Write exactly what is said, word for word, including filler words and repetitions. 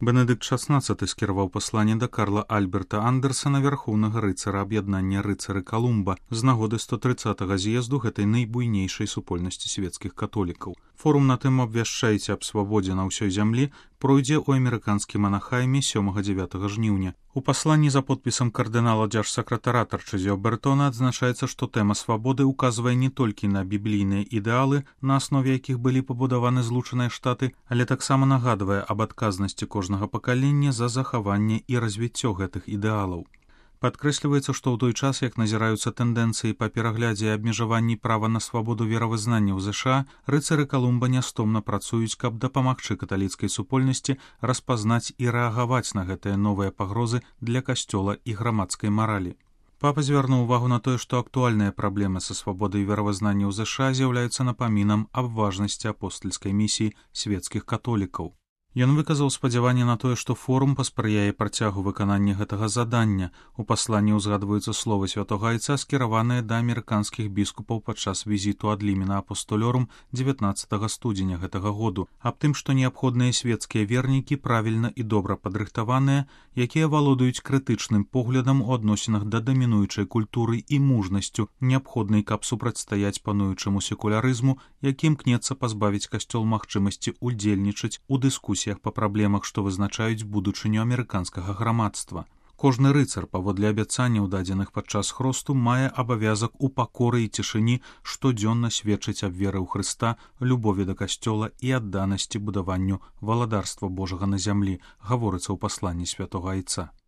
Бенедыкт шаснаццаты скіраваў пасланне да Карла Альберта Андерсана, вярхоўнага рыцара аб'яднання рыцары Калумба, з нагоды сто трыццатага з'езду гэтай найбуйнейшай супольнасці свецкіх католікаў. Форум на тэму «Абвяшчайце аб свабодзе на ўсёй зямлі» пройдзе ў амерыканскім Анахайме сёмага-дзявятага жніўня. У пасланні за подпісам кардынала дзяржсакратара Тарчызіо Бертона адзначаецца, што тэма свабоды ўказвае не толькі на біблійныя ідэалы, на аснове якіх былі пабудаваны Злучаныя Штаты, але таксама нагадвае аб адказнасці кожнага пакалення за захаванне і развіццё гэтых ідэалаў. Падкрэсліваецца, што ў той час, як назіраюцца тэндэнцыі па пераглядзе і абмежаванні права на свабоду веравызнання ў ЗША, рыцары Калумба нястомна працуюць, каб дапамагчы каталіцкай супольнасці распазнаць і рэагаваць на гэтыя новыя пагрозы для касцёла і грамадскай маралі. Папа звярнуў увагу на тое, што актуальныя праблемы са свабодай веравызнання ў ЗША з'яўляюцца напамінам аб важнасці апостальскай місіі свецкіх католікаў. Ён выказаў спадзяванне на тое, што форум паспрыяе працягу выканання гэтага задання. У пасланні ўзгадваюцца словы святога айца, скіраваныя да амерыканскіх біскупаў падчас візіту ад лімена апостолёрум дзевятнаццатага студзеня гэтага году, аб тым, што неабходныя свецкія вернікі правільна і добра падрыхтаваныя, якія валодаюць крытычным поглядам у адносінах да дамінуючай культуры і мужнасцю, неабходнай, каб супрацьстаяць пануючаму секулярызму, які імкнецца пазбавіць касцёл магчымасці удзельнічаць у дыскусіях па праблемах, што вызначаюць будучыню амерыканскага грамадства. Кожны рыцар, паводле абяцанняў, дадзеных падчас хросту, мае абавязак у пакоры і цішыні штодзённа сведчыць аб веры ў Хрыста, любові да касцёла і адданасці будаванню валадарства Божага на зямлі, гаворыцца ў пасланні святога айца.